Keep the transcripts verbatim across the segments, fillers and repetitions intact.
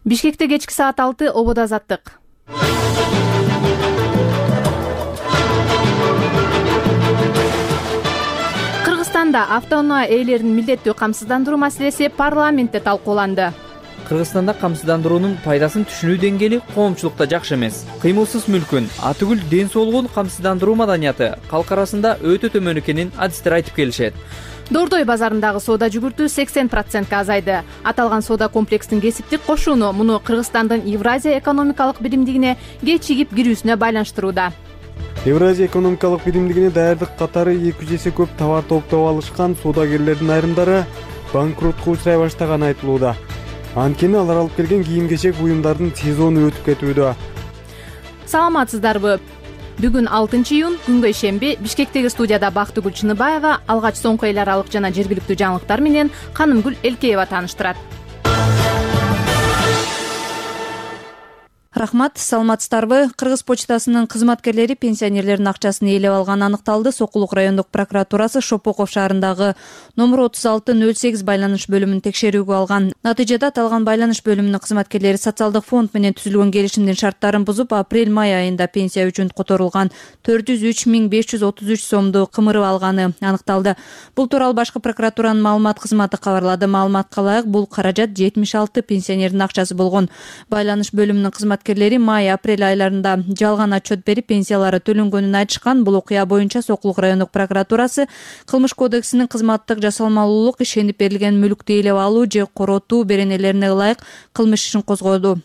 Бишкекте кечки саат алты ободо азаттык. Кыргызстанда автоунаа ээлерин милдеттүү камсыздандыруу маселеси парламентте талкууланды. Кыргызстанда камсыздандыруунун пайдасын түшүнүү деңгээли коомчулукта жакшы эмес. Кыймылсыз мүлкүн, атүгүл ден соолугун камсыздандыруу маданияты калк арасында өтө төмөн экенин адистер айтып келишет. Дордой базарындагы соода жүгүртүү сексен процентке азайды. Аталган соода комплекстин кесиптик кошууну муну Кыргызстандын Евразия экономикалык биримдигине кечигип кирүүсүнө байланыштырууда. Евразия экономикалык биримдигине даярдык катары эки жүз эсе көп товар топтоп алышкан соодагерлердин айрымдары банкротко учурай баштаганы айтылууда. Анткени алар алып келген кийим-кечек буюмдардын сезону өтүп кетүүдө. Саламатсыздарбы? Бүгүн алтынчы июнь, күнгөй шемби, Бишкектеги студияда Бактыгүл Чыныбаева алгач соңку эл аралык жана жергиликтүү жаңылыктар менен Канымгүл Элкеева тааныштырат. Рахмат, саламатсыздарбы? Кыргыз почтасынын кызматкерлери пенсионерлердин акчасын ээлеп алганы аныкталды. Сокулук райондук прокуратурасы Шопоков шаарындагы номер отуз алты нөл сегиз байланыш бөлүмүн текшерүүгө алган. Натыйжада аталган байланыш бөлүмүнүн кызматкерлери социалдык фонд менен түзүлгөн келишимдин шарттарын бузуп, апрель-май айында пенсия үчүн которулган төрт жүз үч миң беш жүз отуз үч сомду кымырып алганы аныкталды. Бул тууралуу башкы прокуратуранын маалымат кызматы кабарлады. Маалыматка ылайык, бул каражат жетимиш алты пенсионердин акчасы болгон. Байланыш бөлүмүнүн кызматкерлери май-апрель айларында жалган отчет берип, пенсиялары төлөнгөнүн айтышкан. Бул окуя боюнча Сокулук райондук прокуратурасы Кылмыш кодексинин кызматтык жасалмалуулук, ишенип берилген мүлктү ээлеп алуу же коротуу беренелерине ылайык кылмыш ишин козгоду.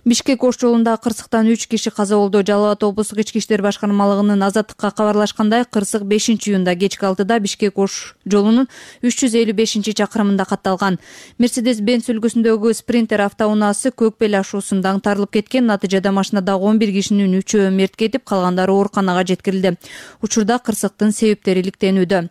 Бишкек ош жолунда кырсыктан үч киши каза болду. Жалал Абад облустук ички иштер башкармалыгынын азаттыкка кабарлашкандай, кырсык бешинчи июнда кечки алтыда Бишкек ош жолунун үч жүз элүү бешинчи чакырымында катталган. Мерседес-Бенц үлгүсүндөгү спринтер автоунаасы Көкбел ашуусунда аңтарылып кеткен. Натыйжада машинадагы он бир кишинин үчөө мерт кетип, калгандары ооруканага жеткирилди. Учурда кырсыктын себептери иликтенүүдө.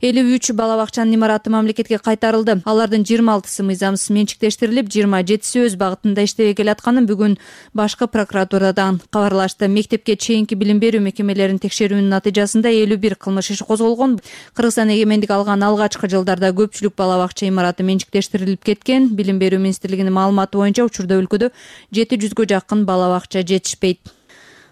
элүү үч бала бакчанын имараты мамлекетке кайтарылды. Алардын жыйырма алтысы мыйзамсыз менчиктештирилип, жыйырма жетиси өз багытында иштебей келатканын бүгүн башкы прокуратурадан кабарлашты. Мектепке чейинки билим берүү мекемелеринин текшерүүнүн натыйжасында элүү бир кылмыш иши козголгон. Кыргызстан эгемендик алган алгачкы жылдарда көпчүлүк бала бакча имараты менчиктештирилип кеткен. Билим берүү министрлигинин маалыматы боюнча учурда өлкөдө жети жүзгө жакын бала бакча жетишпейт.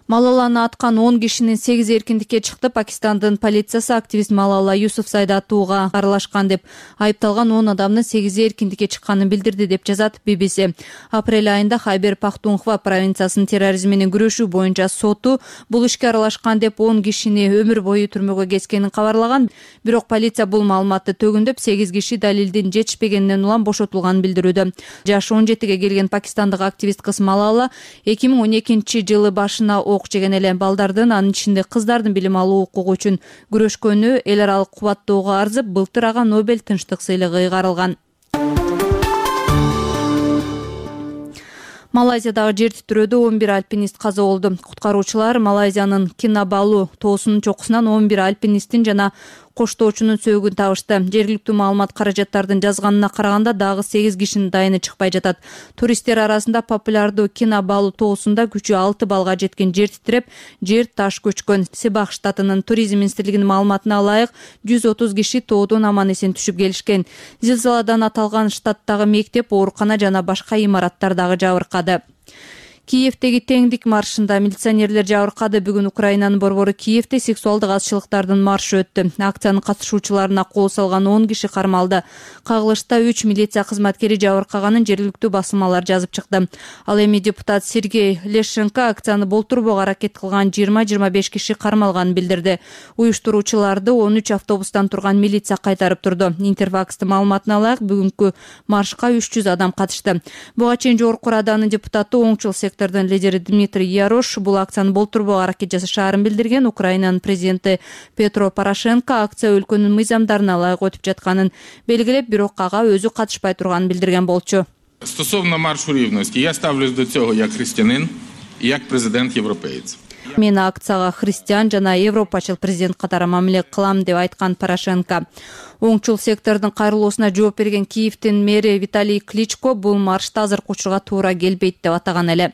Малаланы аткан он кишинин сегизи эркиндикке чыкты. Пакистандын полициясы активист Малала Юсуфзайды атууга аралашкан деп айыпталган он адамдын сегизи эркиндикке чыкканын билдирди деп жазат би би си. Апрель айында Хайбер Пахтунхва провинциясынын терроризм менен күрөшүү боюнча соту бул ишке аралашкан деп он кишини өмүр бою түрмөгө кескенин кабарлаган. Бирок полиция бул маалыматты төгүндөп, сегиз киши далилдин жетишпегенинен улам бошотулганын билдирүүдө. Жашы он жетиге келген пакистандык активист кыз Малала эки миң он экинчи жылы башына ок жеген эле. Балдардын, анын ичинде кыздардын билим алуу укугу үчүн күрөшкөнү эл аралык кубаттоого арзып, былтыр ага Нобель тынчтык сыйлыгы ыйгарылган. Малайзиядагы жер титирөөдө он бир альпинист каза болду. Куткаруучулар Малайзиянын Кинабалу тоосунун чокусунан он бир альпинисттин жана коштоочунун сөөгүн табышты. Жергиликтүү маалымат каражаттардын жазганына караганда дагы сегиз кишинин дайыны чыкпай жатат. Туристтер арасында популярдуу Кинабалу тоосунда күчү алты балга жеткен жер титиреп, жер таш көчкөн. Сибах штатынын туризм министрлигинин маалыматына ылайык, жүз отуз киши тоодон аман-эсен түшүп келишкен. Зилзаладан аталган штаттагы мектеп, оорукана жана башка имараттар дагы жабыркады. Киевдеги теңдик маршында милиционерлер жабыркады. Бүгүн Украинанын борбору Киевде сексуалдык азчылыктардын маршы өттү. Акциянын катышуучуларына кол салган он киши кармалды. Кагылышта үч милиция кызматкери жабыркаганын жергиликтүү басылмалар жазып чыкты. Ал эми депутат Сергей Лешенко акцияны болтурбоого аракет кылган жыйырма жыйырма беш киши кармалганын билдирди. Уюштуруучуларды он үч автобустан турган милиция кайтарып турду. Интерфакстын маалыматына ылайык, бүгүнкү маршка үч жүз адам катышты. Буга чейин Жогорку Раданын депутаты оңчул сектор лидери Дмитрий Ярош бул акцияны болтурбоого аракет жасашаарын билдирген. Украинанын президенти Петро Порошенко акция өлкөнүн мыйзамдарына ылайык өтүп жатканын белгилеп, бирок ага өзү катышпай турганын билдирген болчу. Стосовно маршу рівності, я ставлюсь до цього як християнин і як президент-європеєць. Мен акцияга христиан жана европачыл президент катары мамиле кылам деп айткан Порошенко. Оңчул сектордун кайрылуусуна жооп берген Киевдин мэри Виталий Кличко бул маршта азыркы учурга туура келбейт деп атаган эле.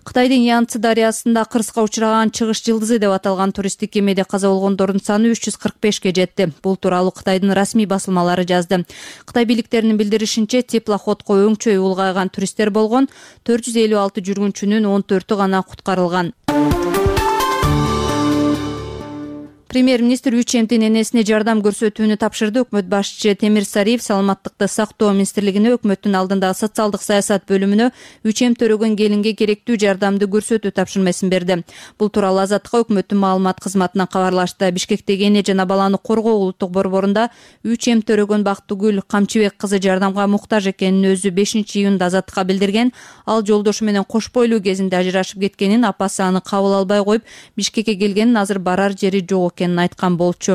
Кытайдын Янцзы дарыясында кырсыкка учураган Чыгыш жылдызы деп аталган туристтик кемеде каза болгондордун саны үч жүз кырк бешке жетти. Бул тууралуу Кытайдын расмий басылмалары жазды. Кытай бийликтеринин билдиришинче, теплоходко өңчөй улгайган туристтер болгон, төрт жүз элүү алты жүргүнчүнүн он төртү гана куткарылган. Премьер-министр үч эмтин энесине жардам көрсөтүүнү тапшырды. Өкмөт башчысы Темир Сариев саламаттыкты сактоо министрлигине өкмөттүн алдындагы социалдык саясат бөлүмүнө үч эм төрөгөн келинге керектүү жардамды көрсөтүү тапшырмасын берди. Бул тууралуу Азаттыкка өкмөттүн маалымат кызматынан кабарлашты. Бишкектеги эне жана баланы коргоо улуттук борборунда үч эм төрөгөн Бактыгүл Камчыбек кызы жардамга муктаж экенин өзү бешинчи июнда Азаттыкка билдирген. Ал жолдошу менен кош бойлуу кезинде ажырашып кеткенин, апасы аны кабыл албай коюп, Бишкекке келгенин, азыр барар жери жок айткан болчу.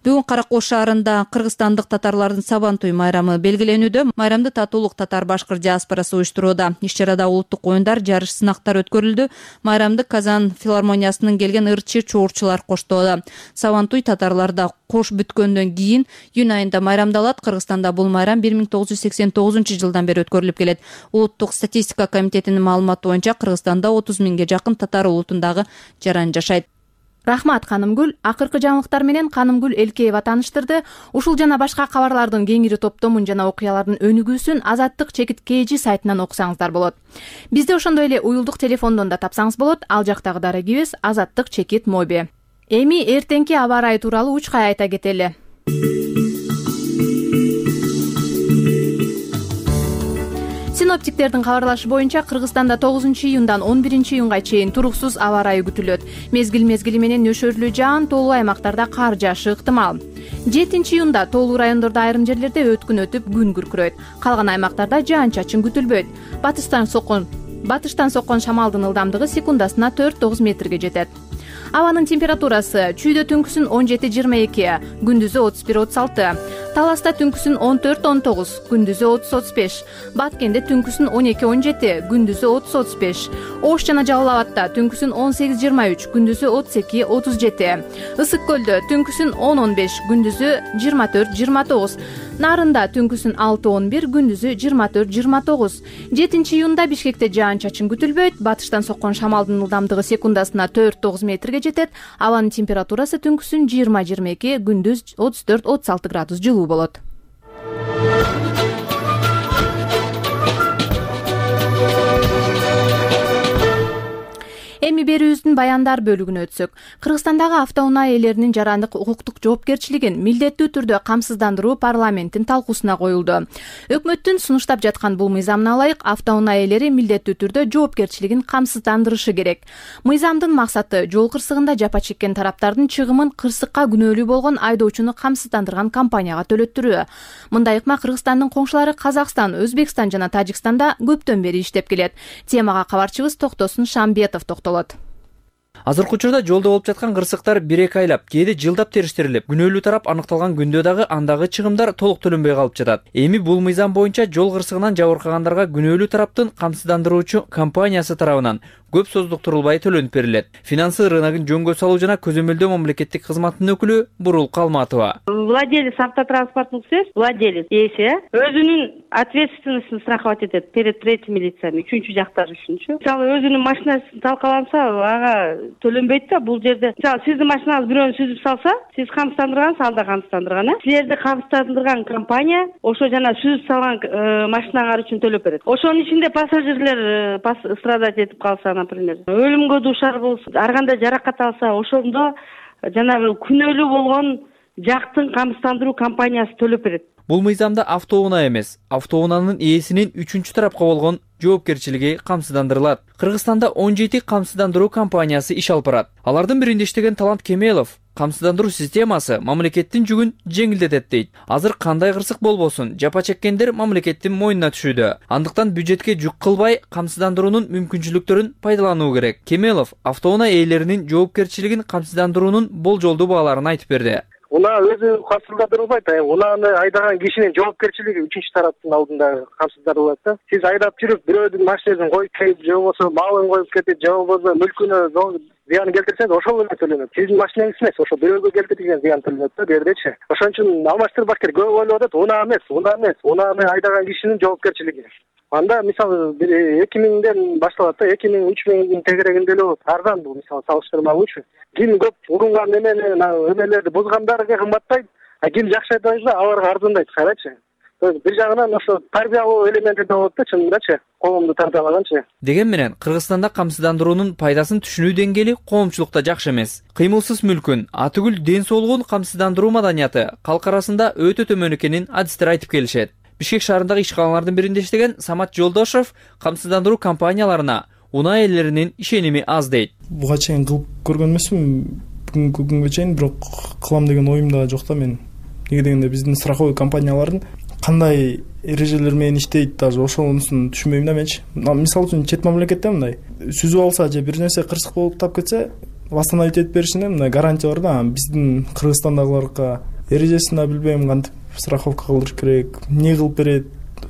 Бүгүн Каракол шаарында кыргызстандык татарлардын Сабантуй майрамы белгиленүүдө. Майрамды татуулук татар-башкыр диаспорасы уюштурууда. Иш-чарада улуттук оюндар, жарыш, сынактар өткөрүлдү. Майрамды Казан филармониясынын келген ырчы чоорчулар коштоодо. Сабантуй татарларда кош бүткөндөн кийин июнь айында майрамдалат. Кыргызстанда бул майрам бир миң тогуз жүз сексен тогузунчу жылдан бери өткөрүлүп келет. Улуттук статистика комитетинин маалыматы боюнча Кыргызстанда отуз миңге жакын татар улутундагы жаран жашайт. Рахмат, Канымгүл. Акыркы жаңылыктар менен Канымгүл Элкеева тааныштырды. Ушул жана башка кабарлардын кеңири топтомун жана окуялардын өнүгүүсүн Азаттык чекит кей жи сайтынан окусаңыздар болот. Бизде ошондой эле уюлдук телефондон да тапсаңыз болот. Ал жактагы дарегибиз Азаттык чекит моби. Эми эртеңки аба ырайы тууралуу учкай айта кетели. Синоптиктердин кабарлашы боюнча Кыргызстанда тогузунчу июндан он биринчи июнга чейин туруксуз аба ырайы күтүлөт. Мезгил-мезгили менен нөшөрлүү жаан, тоолуу аймактарда кар жаашы ыктымал. жетинчи июнда тоолуу райондордо айрым жерлерде өткүн өтүп, күн күркүрөйт. Калган аймактарда жаан-чачын күтүлбөйт. Батыштан соккон батыштан соккон шамалдын ылдамдыгы секундасына төрт тогуз метрге жетет. Абанын температурасы чүйдө түнкүсүн он жети жыйырма эки, күндүзү отуз бир отуз алты. Таласта түнкүсүн он төрт он тогуз, күндүзү отуз отуз беш. Баткенде түнкүсүн он эки он жети, күндүзү отуз отуз беш. Ош жана Жалал Абадта түнкүсүн он сегиз жыйырма үч, күндүзү отуз эки отуз жети. Ысык Көлдө түнкүсүн он он беш, күндүзү жыйырма төрт жыйырма тогуз. Нарында түнкүсүн алты он бир, күндүзү жыйырма төрт жыйырма тогуз. жетинчи июнда Бишкекте жаан-чачын күтүлбөйт. Батыштан соккон шамалдын ылдамдыгы секундасына төрт тогуз метрге жетет. Абанын температурасы түнкүсүн жыйырма жыйырма эки, күндүз отуз төрт отуз алты градус жылуу болот. Эми берүүбүздүн баяндар бөлүгүнө өтсөк, Кыргызстандагы автоунаа ээлеринин жарандык укуктук жоопкерчилигин милдеттүү түрдө камсыздандыруу парламенттин талкуусуна коюлду. Өкмөттүн сунуштап жаткан бул мыйзамына ылайык автоунаа ээлери милдеттүү түрдө жоопкерчилигин камсыздандырышы керек. Мыйзамдын максаты жол кырсыгында жапа чеккен тараптардын чыгымын кырсыкка күнөөлүү болгон айдоочуну камсыздандырган компанияга төлөттүрүү. Мындай ыкма Кыргызстандын коңшулары Казакстан, Өзбекстан жана Тажикстанда көптөн бери иштеп келет. Темага кабарчыбыз Токтосун Шамбетов токтолот. Азыркы учурда жолдо болуп жаткан кырсыктар бир эки айлап, кээде жылдап териштирилип, күнөөлүү тарап аныкталган күндө дагы андагы чыгымдар толук төлөнбөй калып жатат. Эми бул мыйзам боюнча жол кырсыгынан жабыркагандарга күнөөлүү тараптын камсыздандыруучу компаниясы тарабынан көп создуктурулбай төлөнүп берилет. Финансы рыногун жөнгө салуу жана көзөмөлдөө мамлекеттик кызматынын өкүлү Бурул Калматова. Владелец автотранспортных средств, владелец ээси өзүнүн ответственностун страховать этет перед третьими лицами, үчүнчү жактар үчүнчү. Мисалы өзүнүн машинасы талкаланса, ага төлөнбөйт да. Бул жерде мисалы сиздин машинаңыз бирөөнү сүзүп салса, сиз камсыздандыргансыз, ал да камсыздандырган, э? Силерди камсыздандырган компания ошо жана сүзүп салган машинаңар үчүн төлөп берет. Ошонун ичинде пассажирлер страдать этип калса, например, өлүмгө дуушар болсо, ар кандай жаракат алса, ошондо жанагы күнөөлүү болгон жактын камсыздандыруу компаниясы төлөп берет. Бул мыйзамда автоунаа эмес, автоунаанын ээсинин үчүнчү тарапка болгон жоопкерчилиги камсыздандырылат. Кыргызстанда он жети камсыздандыруу компаниясы иш алып барат. Алардын биринде иштеген Талант Кемелов камсыздандыруу системасы мамлекеттин жүгүн жеңилдетет дейт. Азыр кандай кырсык болбосун, жапа чеккендер мамлекеттин мойнуна түшүүдө. Андыктан бюджетке жүк кылбай камсыздандыруунун мүмкүнчүлүктөрүн пайдалануу керек. Кемелов автоунаа ээлеринин жоопкерчилигин камсыздандыруунун болжолдуу бааларын айтып берди. Унаа өзү камсыздандырылбайт, унааны айдаган кишинин жоопкерчилиги үчүнчү тараптын алдында камсыздандырылат да. Сиз айдап жүрүп бирөөдүн машинесин коюп келип, же болбосо малын коюп кетип, же болбосо мүлкүнө зыян келтирсеңиз, ошол эле төлөнөт. Сиздин машинеңиз эмес, ошо бирөөгө келтирген зыян төлөнөт да, бу жердечи. Ошон үчүн алмаштырбаш керек. Көп ойлоп атат, унаа эмес, унаа эмес, унааны айдаган кишинин жоопкерчилиги. Анда мисалы бир эки миңден башталат да, эки миң үч миңдин тегерегинде эле болот. Арзан бул мисалы салыштырмалуучу. Ким көп урунган эмени, эмелерди бузгандарга кымбаттайт, а ким жакшы айдайт, аларга арзандайт, карачы. Бир жагынан ошо тарбиялоо элементи да болот да, чынындачы, коомду тарбиялаганчы. Деген менен Кыргызстанда камсыздандыруунун пайдасын түшүнүү деңгээли коомчулукта жакшы эмес. Кыймылсыз мүлкүн, атүгүл ден соолугун камсыздандыруу маданияты калк арасында өтө төмөн экенин адистер айтып келишет. Бишкек шаарындагы ишканалардын биринде иштеген Самат Жолдошов камсыздандыруу компанияларына унаа ээлеринин ишеними аз дейт. Буга чейин кылып көргөн эмесмин, бүгүнкү күнгө чейин, бирок кылам деген оюм да жок да менин. Неге дегенде биздин страховой компаниялардын кандай эрежелер менен иштейт, даже ошонусун түшүнбөйм да менчи. Мисалы үчүн чет мамлекетте мындай сүзүп алса же бир нерсе кырсык болуп тап кетсе, восстановить этип беришине мындай гарантия бар да. Биздин Кыргызстандагыларга эрежесин да билбейм, кантип страховка кылдырыш керек, эмне кылып берет,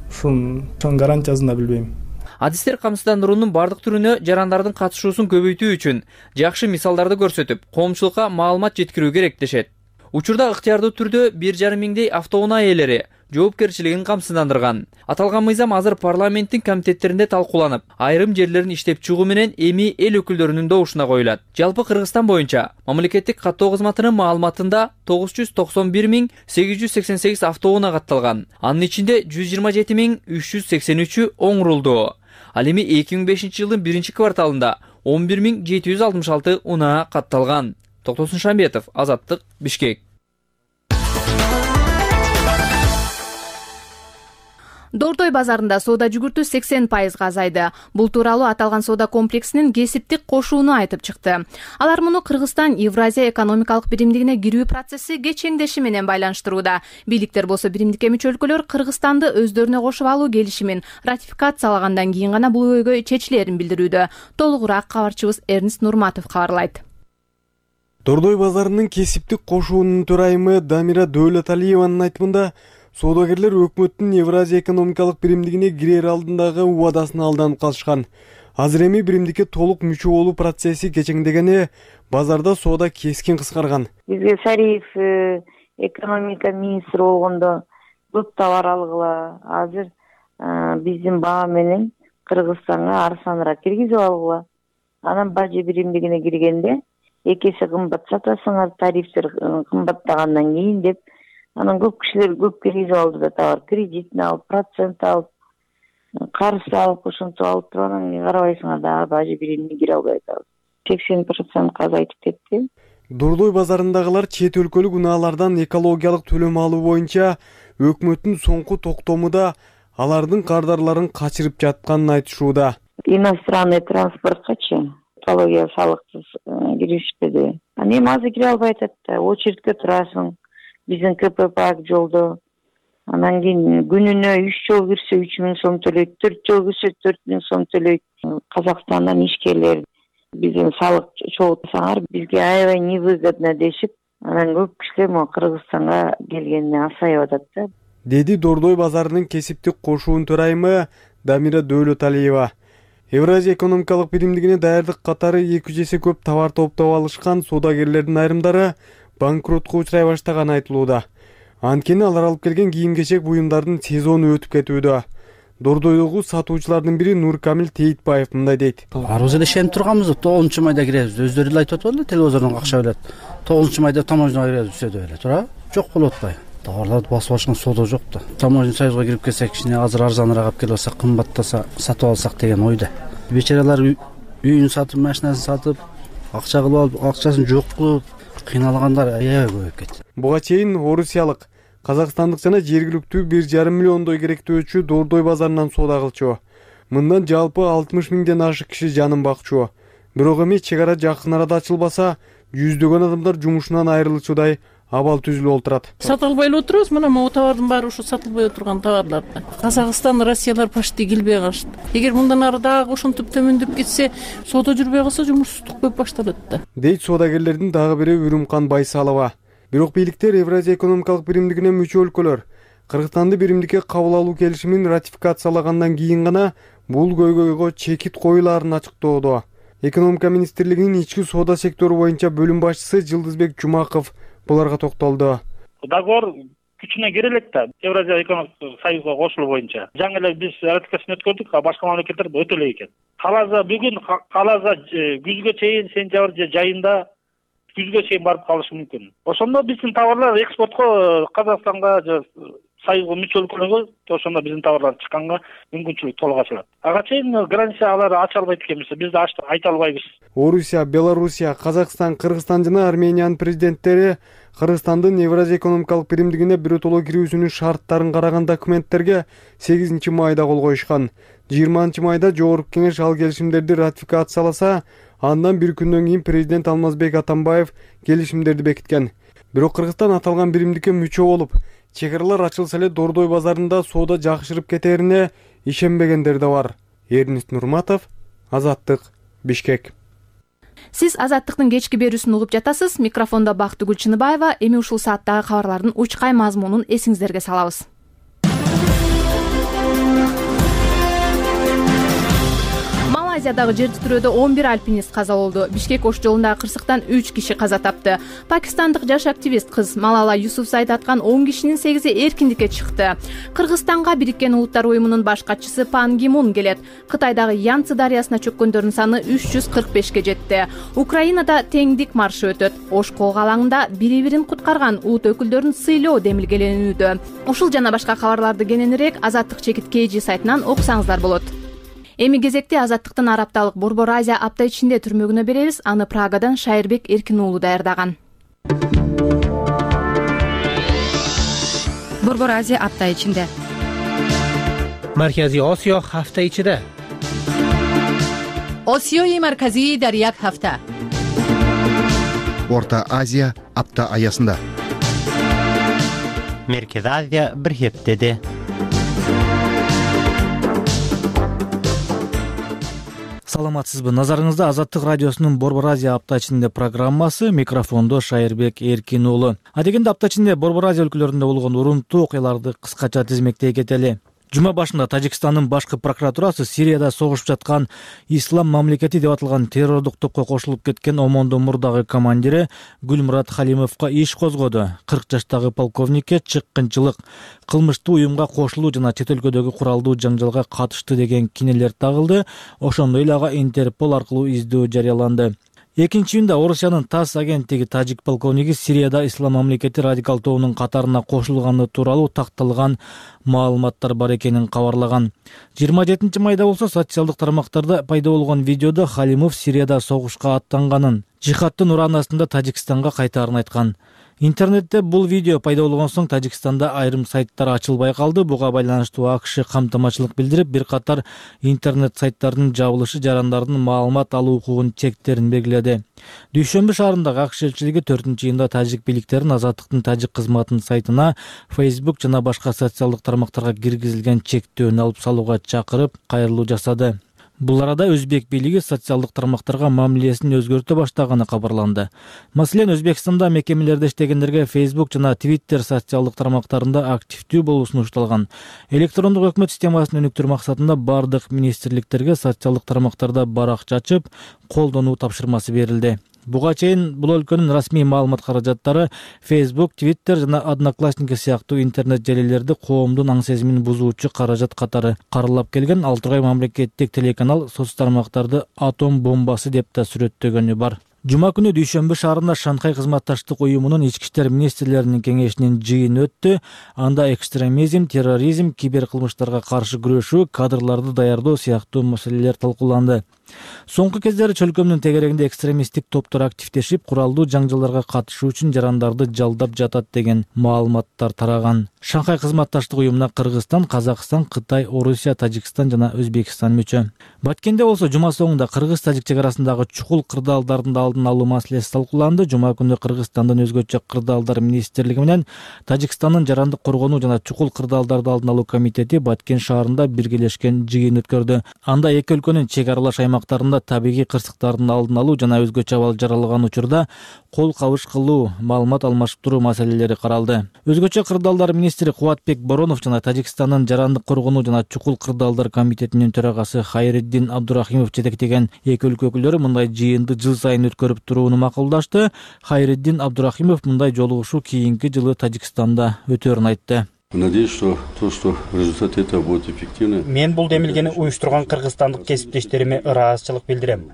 ошонун гарантиясын да билбейм. Адистер камсыздандыруунун бардык түрүнө жарандардын катышуусун көбөйтүү үчүн жакшы мисалдарды көрсөтүп, коомчулукка маалымат жеткирүү керек дешет. Учурда ыктыярдуу түрдө бир жарым миңдей автоунаа ээлери жоопкерчилигин камсыздандырган. Аталган мыйзам азыр парламенттин комитеттеринде талкууланып, айрым жерлерин иштеп чыгуу менен эми эл өкүлдөрүнүн добушуна коюлат. Жалпы Кыргызстан боюнча мамлекеттик каттоо кызматынын маалыматында тогуз жүз токсон бир миң сегиз жүз сексен сегиз автоунаа катталган. Анын ичинде жүз жыйырма жети миң үч жүз сексен үчү оңурулду. Ал эми эки миң бешинчи жылдын биринчи кварталында он бир миң жети жүз алтымыш алты унаа катталган. Токтосун Шамбетов, Азаттык, Бишкек. Дордой базарында соода жүгүртүү сексен пайызга азайды. Бул тууралуу аталган соода комплексинин кесиптик кошууну айтып чыкты. Алар муну Кыргызстан Евразия экономикалык биримдигине кирүү процесси кечеңдеши менен байланыштырууда. Бийликтер болсо биримдикке мүчө өлкөлөр Кыргызстанды өздөрүнө кошуп алуу келишимин ратификациялагандан кийин гана бул өйгө чечилерин билдирүүдө. Толугураак кабарчыбыз Эрнис Нурматов кабарлайт. Дордой базарынын кесиптик кошуунун төрайымы Дамира Дөөлөталиеванын айтымында, соодагерлер өкмөттүн Евразия экономикалык биримдигине кирер алдындагы убадасына алданып калышкан. Азыр эми биримдикке толук мүчө болуу процесси кечеңдегени, базарда соода кескин кыскарган. Бизге Сариев экономика министри болгондо көп товар алгыла. Азыр биздин баа менен Кыргызстанга арзаныраак киргизип алгыла. Анан бажы биримдигине киргенде эки эсе кымбат сатасыңар, тарифтер кымбаттагандан кийин деп, анан көп кишилер көп киргизип алды да, товар кредитин алып, процент алып, карыз алып, ошентип алып туруп, анан карабайсыңар дагы бажы биримине кире албай атабыз. сексен процентке азайтып кетти. Дордой базарындагылар чет өлкөлүк унаалардан экологиялык төлөм алуу боюнча өкмөттүн соңку токтому да алардын кардарларын качырып жатканын айтышууда. Иностранный транспорткачы экология салыксыз киришпеди. Анан эми азыр кире албай атат да, очередке турасың. Биздин КПП жолдо. Анан кийин күнүнө үч жол кирсе үч миң сом төлөйт, төрт жол кирсе төрт миң сом төлөйт. Казакстандан ишкерлер биздин салык чогултсаңар бизге аябай невыгодно дешип, анан көп кишилер могу Кыргызстанга келгенине асайып атат да. Деди Дордой базарынын кесиптик кошуун төрайымы Дамира Дөөлөталиева. Евразия экономикалык биримдигине даярдык катары эки жүз эсе көп товар топтоп алышкан соодагерлердин айрымдары банкротко учурай баштаганы айтылууда. Анткени алар алып келген кийим-кечек буюмдардын сезону өтүп кетүүдө. Дордойдогу сатуучулардын бири Нуркамил Тейтбаев мындай дейт. Арыбыз эле ишенип турганбыз, тогузунчу майда киребиз. Өздөрү эле айтып атпадыбы, телевизордон акча билет. тогузунчу майда таможняга киребиз, түшөдү эле, туура? Жок болуп атпайбы? Товарларды басып алышкан соода жок да. Таможня союзга кирип келсек, кичине азыр арзаныраак алып келип алсак, кымбаттаса сатып алсак деген ойда. Бечаралар үйүн сатып, машинасын сатып, акча кылып алып, акчасын жок кылып, кыйналгандар аябай көбөйүп кетти. Буга чейин орусиялык, казакстандык жана жергиликтүү бир жарым миллиондой керектөөчү Дордой базарынан соода кылчу. Мындан жалпы алтымыш миңден ашык киши жанын бакчу. Бирок эми чек ара жакын арада ачылбаса, жүздөгөн адамдар жумушунан айрылчудай абал түзүлүп отурат. Сатып албай эле отурабыз, мына могу товардын баары ушу сатылбай отурган товарлар. Казакстан, Россиялар почти келбей калышты. Эгер мындан ары дагы ошентип төмөндөп кетсе, соода жүрбөй калса жумушсуздук көп башталат да. Дейт соодагерлердин дагы бири Үрүмкан Байсалова. Бирок бийликтер Евразия экономикалык биримдигине мүчө өлкөлөр Кыргызстанды биримдикке кабыл алуу келишимин ратификациялагандан кийин гана бул көйгөйгө чекит коюлаарын ачыктоодо. Экономика министрлигинин ички соода сектору боюнча бөлүм башчысы Жылдызбек Жумаков буларга токтолду. Договор күчүнө кире элек да Евразия экономикалык союзга кошулуу боюнча. Жаңы эле биз ратификацияны өткөрдүк, а башка мамлекеттер өтө элек экен. Каласа бүгүн, каласа күзгө чейин, сентябрь же жайында күзгө чейин барып калышы мүмкүн. Ошондо биздин товарлар экспортко Казакстанга же союзга мүчө өлкөлөргө ошондо биздин товарлар чыкканга мүмкүнчүлүк толук ачылат. Ага чейин граница алар ача албайт экенбиз, биз да ачтык айта албайбыз. Орусия, Белоруссия, Казакстан, Кыргызстан жана Армениянын президенттери Кыргызстандын Евразия экономикалык биримдигине биротоло кирүүсүнүн шарттарын караган документтерге сегизинчи майда кол коюшкан. жыйырманчы майда Жогорку Кеңеш ал келишимдерди ратификацияласа, андан бир күндөн кийин президент Алмазбек Атамбаев келишимдерди бекиткен. Бирок Кыргызстан аталган биримдикке мүчө болуп, чек аралар ачылса эле Дордой базарында соода жакшырып кетерине ишенбегендер да бар. Эрнист Нурматов, Азаттык, Бишкек. Сиз Азаттыктын кечки берүүсүн угуп жатасыз. Микрофондо Бактыгүл Чыныбаева. Эми ушул сааттагы кабарлардын учкай мазмунун эсиңиздерге салабыз. Малайзиядагы жер титирөөдө он бир альпинист каза болду. Бишкек Ош жолундагы кырсыктан үч киши каза тапты. Пакистандык жаш активист кыз Малала Юсуфзайд аткан он кишинин сегизи эркиндикке чыкты. Кыргызстанга Бириккен Улуттар уюмунун баш катчысы Пан Ги Мун келет. Кытайдагы Янцзы дарыясына чөккөндөрдүн саны үч жүз кырк бешке жетти. Украинада теңдик маршы өтөт. Ош кол алаңында бири-бирин куткарган улут өкүлдөрүн сыйлоо демилгеленүүдө. Ушул жана башка кабарларды кененирээк Азаттык чекит kg сайтынан окусаңыздар болот. Эми кезекте Азаттыктын Арапталык Борбор Азия апта ичинде түрмөгүнө беребиз. Аны Прагадан Шайырбек Эркин уулу даярдаган. Борбор Азия апта ичинде. Маркази Осиё ҳафта ичида. Осиёи марказии дар як ҳафта. Орта Азия апта аясында. Меркези Азия бир ҳептеде. Саламатсызбы? Назарыңызда Азаттык радиосунун Борбор Азия апта ичинде программасы. Микрофондо Шайырбек Эркин уулу. Адегенде апта ичинде Борбор Азия өлкөлөрүндө болгон урунтуу окуяларды кыскача тизмектей кетели. Жума башында Тажикстандын башкы прокуратурасы Сирияда согушуп жаткан Ислам мамлекети деп аталган террордук топко кошулуп кеткен Омондун мурдагы командири Гүлмурат Халимовго иш козгоду. кырк жаштагы полковникке чыккынчылык, кылмыштуу уюмга кошулуу жана чет өлкөдөгү куралдуу жаңжалга катышты деген кинелер тагылды. Ошондой эле ага Интерпол аркылуу издөө жарыяланды. Экинчи июнда Орусиянын ТАСС агенттиги тажик полковниги Сирияда Ислам мамлекети радикал тобунун катарына кошулганы тууралуу такталган маалыматтар бар экенин кабарлаган. жыйырма жетинчи майда болсо социалдык тармактарда пайда болгон видеодо Халимов Сирияда согушка аттанганын, жихадтын ураанасында Тажикстанга кайтаарын айткан. Интернетте бул видео пайда болгон соң Тажикстанда айрым сайттар ачылбай калды. Буга байланыштуу АКШ камтамачылык билдирип, бир катар интернет сайттардын жабылышы жарандардын маалымат алуу укугун чектерин белгиледи. Дүйшөмбү шаарындагы АКШ элчилиги төртүнчү июнда тажик бийликтерин Азаттыктын тажик кызматынын сайтына Facebook жана башка социалдык тармактарга киргизилген чектөөнү алып салууга чакырып, кайрылуу жасады. Бул арада Өзбек бийлиги социалдык тармактарга мамилесин өзгөртө баштаганы кабарланды. Маселен, Өзбекстанда мекемелерде иштегендерге Facebook жана Twitter социалдык тармактарында активдүү болуу сунушталган. Электрондук өкмөт системасын өнүктүрүү максатында бардык министрликтерге социалдык тармактарда баракча ачып, колдонуу тапшырмасы берилди. Буга чейин бул өлкөнүн расмий маалымат каражаттары Facebook, Twitter жана Одноклассники сыяктуу интернет желилерди коомдун аң сезимин бузуучу каражат катары каралап келген. Ал тургай мамлекеттик телеканал соц тармактарды атом бомбасы деп да сүрөттөгөнү бар. Жума күнү Дүйшөмбү шаарында Шанхай кызматташтык уюмунун ички иштер министрлеринин кеңешинин жыйыны өттү. Анда экстремизм, терроризм, киберкылмыштарга каршы күрөшүү, кадрларды даярдоо сыяктуу маселелер талкууланды. Соңку кездери чөлкөмдүн тегерегинде экстремисттик топтор активдешип, куралдуу жаңжалдарга катышуу үчүн жарандарды жалдап жатат деген маалыматтар тараган. Шанхай кызматташтык уюмуна Кыргызстан, Казакстан, Кытай, Орусия, Тажикстан жана Өзбекстан мүчө. Баткенде болсо жума соңунда кыргыз-тажик чек арасындагы чукул кырдаалдардын алдын алуу маселеси талкууланды. Жума күнү Кыргызстандын өзгөчө кырдаалдар министрлиги менен Тажикстандын жарандык коргонуу жана чукул кырдаалдарды алдын алуу комитети Баткен шаарында биргелешкен жыйын өткөрдү. Анда эки өлкөнүн чек аралаш аймак аймактарында табигый кырсыктардын алдын алуу жана өзгөчө абал жаралган учурда кол кабыш кылуу, маалымат алмашып туруу маселелери каралды. Өзгөчө кырдаалдар министри Кубатбек Боронов жана Тажикстандын жарандык коргонуу жана чукул кырдаалдар комитетинин төрагасы Хайриддин Абдурахимов жетектеген эки өлкө өкүлдөрү мындай жыйынды жыл сайын өткөрүп турууну макулдашты. Хайриддин Абдурахимов мындай жолугушуу кийинки жылы Тажикстанда өтөөрүн айтты. Надеюсь, что то, что результаты этого будут эффективны. Мен бул демилгени уюштурган кыргызстандык кесиптештериме ыраазычылык билдирем.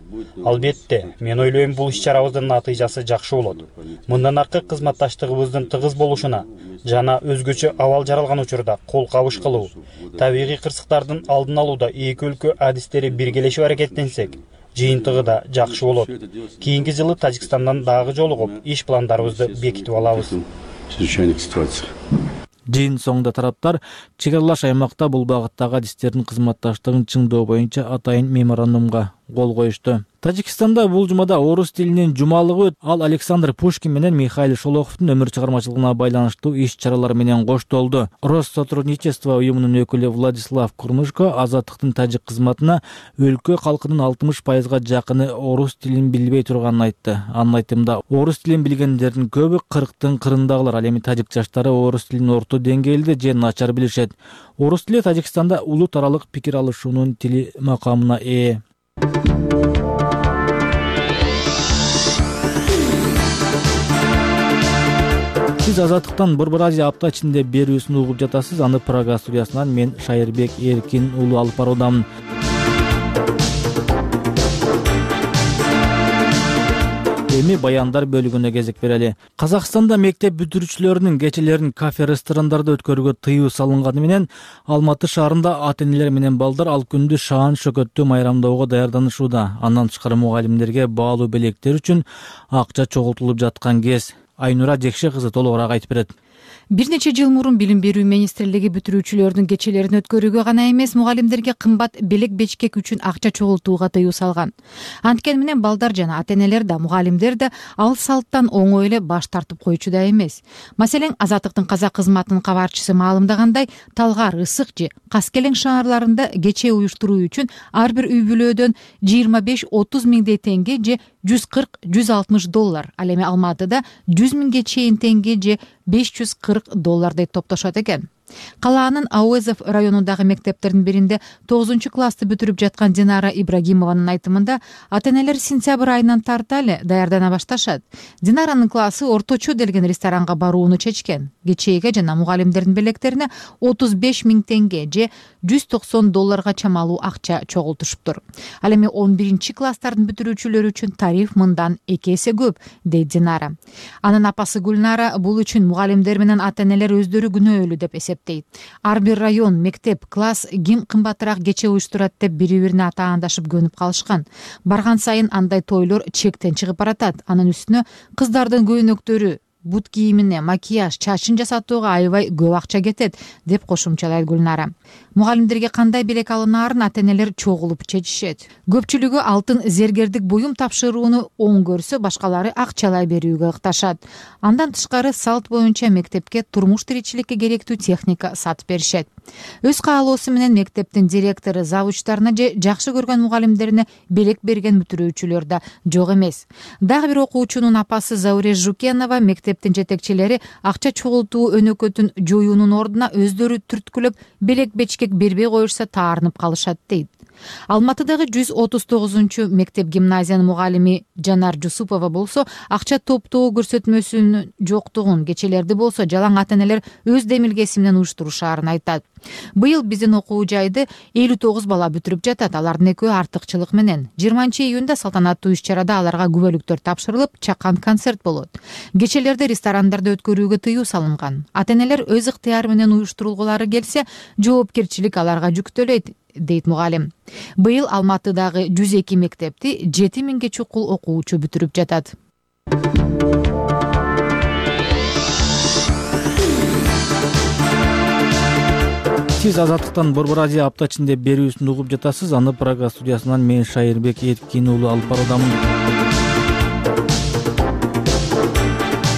Албетте, мен ойлойм бул иш-чарабыздын натыйжасы жакшы болот. Мындан аркы кызматташтыгыбыздын тыгыз болушуна жана өзгөчө абал жаралган учурда кол кабыш кылуу, табигый кырсыктардын алдын алууда эки өлкө адистери биргелешип аракеттенсек, жыйынтыгы да жакшы болот. Кийинки жылы Тажикстандан дагы жолугуп, иш пландарыбызды бекитип алабыз. Жыйын соңунда тараптар чек аралаш аймакта бул багыттагы адистердин кызматташтыгын чыңдоо боюнча атайын меморандумга кол коюшту. Тажикстанда бул жумада орус тилинин жумалыгы өтүп, ал Александр Пушкин менен Михаил Шолоховдун өмүр чыгармачылыгына байланыштуу иш-чаралар менен коштолду. Россотрудничество уюмунун өкүлү Владислав Курмышко азаттыктын тажик кызматына өлкө калкынын алтымыш пайызга жакыны орус тилин билбей турганын айтты. Анын айтымында, орус тилин билгендердин көбү кырктын кырындагылар, ал эми тажик жаштары орус тилин орто деңгээлде же начар билишет. Орус тили Тажикстанда улут аралык пикир алышуунун тили макамына ээ. Сиз Азаттыктан Борбор Азия апта ичинде берүүсүн угуп жатасыз. Аны Прага студиясынан мен Шайырбек Эркин уулу алып баруудамын. Эми баяндар бөлүгүнө кезек берели. Казакстанда мектеп бүтүрүүчүлөрүнүн кечелерин кафе-ресторандарда өткөрүүгө тыюу салынганы менен Алматы шаарында ата-энелер менен балдар ал күндү шаан шөкөттү майрамдоого даярданышууда. Андан тышкары мугалимдерге баалуу белектер үчүн акча чогултулуп жаткан кез. Айнура Жекше кызы толугураак айтып берет. Бир нече жыл мурун Билим берүү министрлиги бүтүрүүчүлөрдүн кечелерин өткөрүүгө гана эмес, мугалимдерге кымбат белек бечкек үчүн акча чогултууга тыюу салган. Анткени менен балдар жана ата-энелер да, мугалимдер да ал салттан оңой эле баш тартып койчу да эмес. Маселен, Азаттыктын казак кызматынын кабарчысы маалымдагандай, Талгар, Ысык же Каскелең шаарларында кече уюштуруу үчүн ар бир үй бүлөдөн жыйырма беш отуз миңдей теңге же жүз кырк жүз алтымыш доллар, ал эми Алматыда жүз миңге чейин теңге же беш жүз кырк доллардай топтошот экен. Калаанын Ауэзов районундагы мектептердин биринде тогузунчу классты бүтүрүп жаткан Динара Ибрагимованын айтымында, ата-энелер сентябрь айынан тарта эле даярдана башташат. Динаранын классы орточо делген ресторанга барууну чечкен. Кечээге жана мугалимдердин белектерине отуз беш миң теңге же жүз токсон долларга чамалуу акча чогултушуптур. Ал эми он биринчи класстардын бүтүрүүчүлөрү үчүн тариф мындан эки эсе көп, дейт Динара. Анын апасы Гүлнара бул үчүн мугалимдер менен ата-энелер өздөрү күнөөлүү деп эсептейт. Ар бир район, мектеп, класс ким кымбатыраак кече уюштурат деп бири-бирине атаандашып көнүп калышкан. Барган сайын андай тойлор чектен чыгып баратат. Анын үстүнө кыздардын көйнөктөрү, бут кийимине, макияж, чачын жасатууга аябай көп акча кетет, деп кошумчалайт Гүлнара. Мугалимдерге кандай белек алынаарын ата-энелер чогулуп чечишет. Көпчүлүгү алтын зергердик буюм тапшырууну оң көрсө, башкалары акчалай берүүгө ыкташат. Андан тышкары салт боюнча мектепке турмуш тиричиликке керектүү техника сатып беришет. Өз каалоосу менен мектептин директору завучтарына же жакшы көргөн мугалимдерине белек берген бүтүрүүчүлөр да жок эмес. Дагы бир окуучунун апасы Зауре Жукенова мектептин жетекчилери акча чогултуу өнөкөтүн жоюунун ордуна өздөрү түрткүлөп белек бечкек бербей коюшса таарынып калышат дейт. Алматыдагы жүз отуз тогузунчу мектеп гимназиянын мугалими Жанар Жусупова болсо, акча топтоо көрсөтмөсүнүн жоктугун, кечелерди болсо жалаң ата-энелер өз демилгеси менен уюштурушаарын айтат. Быйыл биздин окуу жайды элүү тогуз бала бүтүрүп жатат. Алардын экөө артыкчылык менен. жыйырманчы июнда салтанаттуу иш-чарада аларга күбөлүктөр тапшырылып, чакан концерт болот. Кечелерди ресторандарда өткөрүүгө тыюу салынган. Ата-энелер өз ыктыяры менен уюштурулгулары келсе, жоопкерчилик аларга жүктөлөйт, дейт мугалим. Быйыл Алматыдагы жүз эки мектепти жети миңге чукул окуучу бүтүрүп жатат. Сиз Азаттыктан Борбор Азия апта ичинде берүүсүн угуп жатасыз. Аны Прага студиясынан мен Шайырбек Эркин уулу алып баруудамын.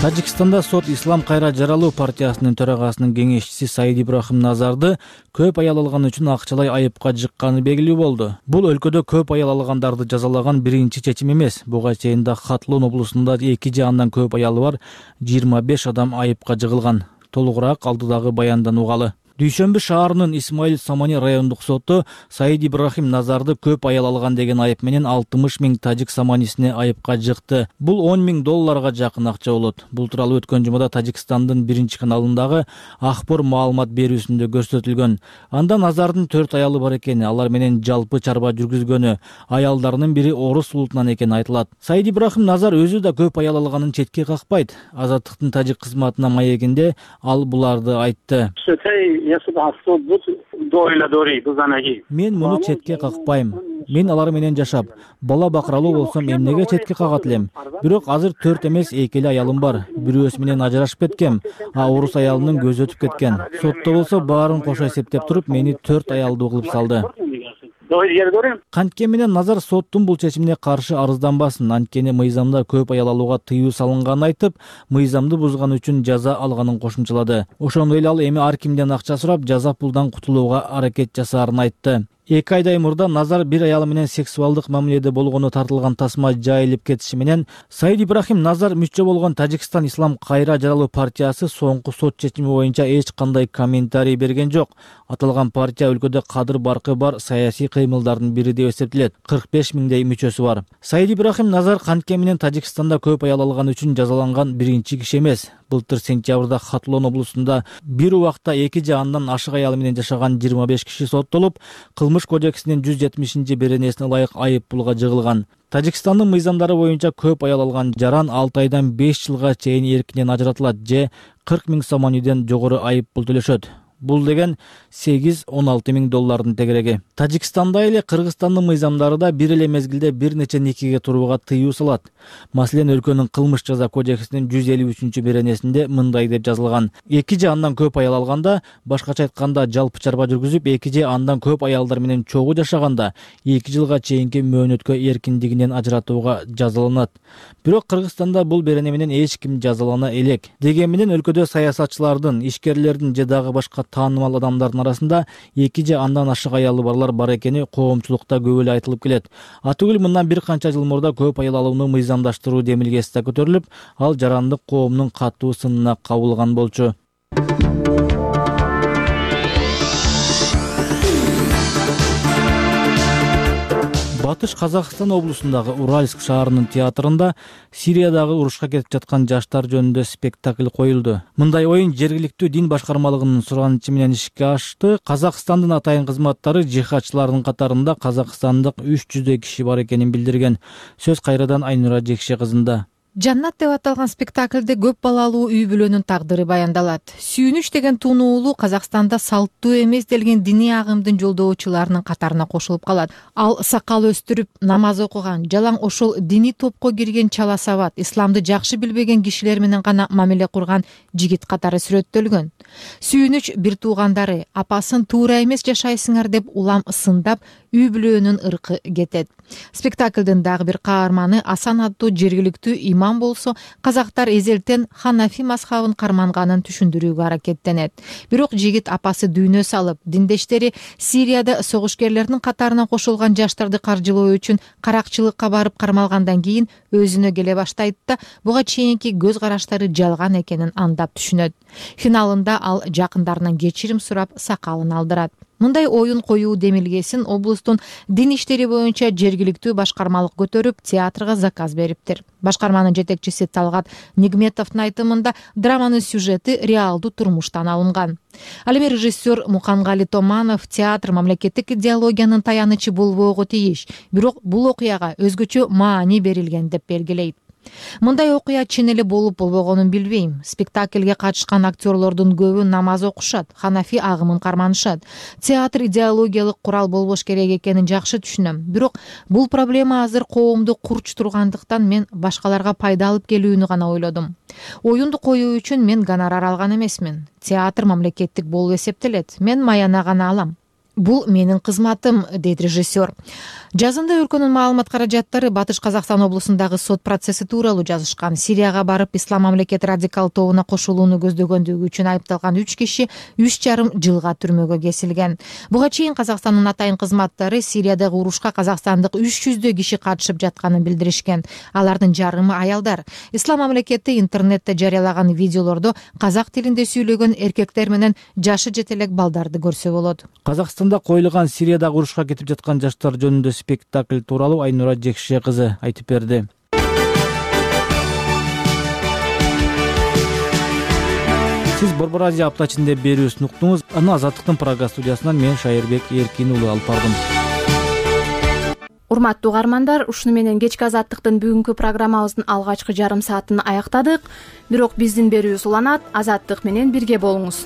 Тажикстанда сот Ислам кайра жаралуу партиясынын төрагасынын кеңешчиси Саид Ибрахим Назарды көп аял алган үчүн акчалай айыпка жыкканы белгилүү болду. Бул өлкөдө көп аял алгандарды жазалаган биринчи чечим эмес. Буга чейин да Хатлон облусунда эки же андан көп аялы бар жыйырма беш адам айыпка жыгылган. Толугураак алдыдагы баяндан угалы. Дүйшөмбү шаарынын Исмаил Самани райондук соту Саид Ибрахим Назарды көп аял алган деген айып менен алтымыш миң тажик саманисине айыпка жыкты. Бул он миң долларга жакын акча болот. Бул тууралуу өткөн жумада Тажикстандын биринчи каналындагы Ахбор маалымат берүүсүндө көрсөтүлгөн. Анда Назардын төрт аялы бар экени, алар менен жалпы чарба жүргүзгөнү, аялдарынын бири орус улутунан экени айтылат. Саид Ибрахим Назар өзү да көп аял алганын четке какпайт. Азаттыктын тажик кызматына маегинде ал буларды айтты. Мен муну четке какпайм. Мен алар менен жашап, бала бакыралуу болсом эмнеге четке кагат элем? Бирок азыр төрт эмес эки эле аялым бар. Бирөөсү менен ажырашып кеткем, а орус аялынын көзү өтүп кеткен. Сотто болсо баарын кошо эсептеп туруп мени төрт аялдуу кылып салды. Канткени менен Назар соттун бул чечимине каршы арызданбасын, анткени мыйзамда көп аял алууга тыюу салынганын айтып, мыйзамды бузган үчүн жаза алганын кошумчалады. Ошондой эле ал эми ар кимден акча сурап, жаза пулдан кутулууга аракет жасаарын айтты. Эки айдай мурда Назар бир аялы менен сексуалдык мамиледе болгону тартылган тасма жайылып кетиши менен Саид Ибрахим Назар мүчө болгон Тажикстан Ислам кайра жаралуу партиясы соңку сот чечими боюнча эч кандай комментарий берген жок. Аталган партия өлкөдө кадыр баркы бар саясий кыймылдардын бири деп эсептелет. кырк беш миңдей мүчөсү бар. Саид Ибрахим Назар канткени менен Тажикстанда көп аял алган үчүн жазаланган биринчи киши эмес. Былтыр сентябрда Хатлон облусунда бир убакта эки же андан ашык аялы менен жашаган жыйырма беш киши соттолуп, Кылмыш кодексинин жүз жетимишинчи беренесине ылайык айып пулга жыгылган. Тажикстандын мыйзамдары боюнча көп аял алган жаран алты айдан беш жылга чейин эркинен ажыратылат же кырк миң сомониден жогору айып пул төлөшөт. Бул деген сегиз он алты миң доллардын тегереги. Тажикстанда эле Кыргызстандын мыйзамдары да бир эле мезгилде бир нече никеге турууга тыюу салат. Маселен, өлкөнүн кылмыш жаза кодексинин жүз элүү үчүнчү беренесинде мындай деп жазылган: эки же андан көп аял алганда, башкача айтканда жалпы чарба жүргүзүп, эки же андан көп аялдар менен чогуу жашаганда эки жылга чейинки мөөнөткө эркиндигинен ажыратууга жазаланат. Бирок Кыргызстанда бул берене менен эч ким жазалана элек. Деген менен өлкөдө саясатчылардын, ишкерлердин же дагы башка таанымал адамдардын арасында эки же андан ашык аялы барлар бар экени коомчулукта көп эле айтылып келет. Атүгүл мындан бир канча жыл мурда көп аял алууну мыйзамдаштыруу демилгеси да көтөрүлүп, ал жарандык коомдун катуу сынына кабылган болчу. Батыш Казакстан облусундагы Уральск шаарынын театрында Сириядагы урушка кетип жаткан жаштар жөнүндө спектакль коюлду. Мындай оюн жергиликтүү дин башкармалыгынын суранычы менен ишке ашты. Казакстандын атайын кызматтары жихадчылардын катарында казакстандык үч жүздөй киши бар экенин билдирген. Сөз кайрадан Айнура Жекше кызында. Жаннат деп аталган спектакльде көп балалуу үй бүлөнүн тагдыры баяндалат. Сүйүнүч деген тунуулу Казакстанда салттуу эмес делген диний агымдын жолдоочуларынын катарына кошулуп калат. Ал сакал өстүрүп, намаз окуган, жалаң ошол диний топко кирген чала сабат, исламды жакшы билбеген кишилер менен гана мамиле курган жигит катары сүрөттөлгөн. Сүйүнүч бир туугандары апасын туура эмес жашайсыңар деп улам сындап, үй бүлөнүн ыркы кетет. Спектаклдын дагы бир каарманы Асан аттуу жергиликтүү имам болсо, казактар эзелтен Ханафи мазхабын карманганын түшүндүрүүгө аракеттенет. Бирок жигит апасы дүйнө салып, диндештери Сирияда согушкерлердин катарына кошулган жаштарды каржылоо үчүн каракчылыкка барып кармалгандан кийин өзүнө келе баштайт да, буга чейинки көз караштары жалган экенин андап түшүнөт. Финалында ал жакындарынан кечирим сурап, сакалын алдырат. Мындай оюн коюу демилгесин облустун дин иштери боюнча жергиликтүү башкармалык көтөрүп, театрга заказ бериптир. Башкарманын жетекчиси Талгат Нигметовдун айтымында драманын сюжети реалдуу турмуштан алынган. Ал эми режиссер Мукангали Томанов театр мамлекеттик идеологиянын таянычы болбоого тийиш, бирок бул окуяга өзгөчө маани берилген деп белгилейт. Мындай окуя чын эле болуп болбогонун билбейм. Спектакльге катышкан актерлордун көбү намаз окушат, Ханафи агымын карманышат. Театр идеологиялык курал болбош керек экенин жакшы түшүнөм. Бирок бул проблема азыр коомду курч тургандыктан мен башкаларга пайда алып келүүнү гана ойлодум. Оюнду коюу үчүн мен гонорар алган эмесмин. Театр мамлекеттик болуп эсептелет. Мен маяна гана алам. бул менин кызматым, дейт режиссер. Жазында өлкөнүн маалымат каражаттары Батыш Казакстан облусундагы сот процесси тууралуу жазышкан. Сирияга барып Ислам мамлекет радикал тобуна кошулууну көздөгөндүгү үчүн айыпталган үч киши үч жарым жылга түрмөгө кесилген. Буга чейин Казакстандын атайын кызматтары Сириядагы урушка казакстандык үч жүздөй киши катышып жатканын билдиришкен. Алардын жарымы аялдар. Ислам мамлекети интернетте жарыялаган видеолордо казак тилинде сүйлөгөн эркектер менен жашы жете элек балдарды көрсө болот. Казакстанда коюлган Сириядагы урушка кетип жаткан жаштар жөнүндө спектакль тууралуу Айнура Жекше кызы айтып берди. Сиз Борбор Азия апта ичинде берүүсүн уктуңуз. Аны Азаттыктын Прага студиясынан мен Шайырбек Эркин уулу алып бардым. Урматтуу угармандар, ушуну менен кечки Азаттыктын бүгүнкү программабыздын алгачкы жарым саатын аяктадык. Бирок биздин берүүбүз уланат. Азаттык менен бирге болуңуз.